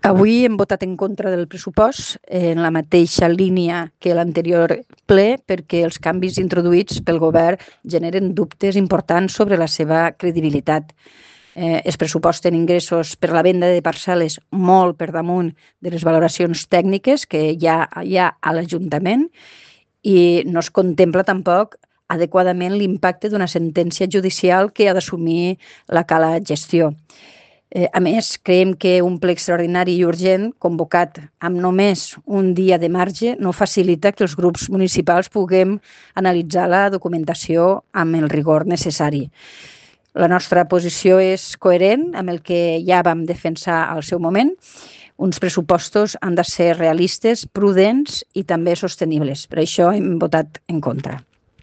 Avui hem votat en contra del pressupost en la mateixa línia que l'anterior ple perquè els canvis introduïts pel govern generen dubtes importants sobre la seva credibilitat. Es pressuposten ingressos per la venda de parcel·les molt per damunt de les valoracions tècniques que hi ha a l'Ajuntament i no es contempla tampoc adequadament l'impacte d'una sentència judicial que ha d'assumir la cala gestió. A més, creiem que un ple extraordinari i urgent, convocat amb només un dia de marge, no facilita que els grups municipals puguem analitzar la documentació amb el rigor necessari. La nostra posició és coherent amb el que ja vam defensar al seu moment. Uns pressupostos han de ser realistes, prudents i també sostenibles. Per això hem votat en contra.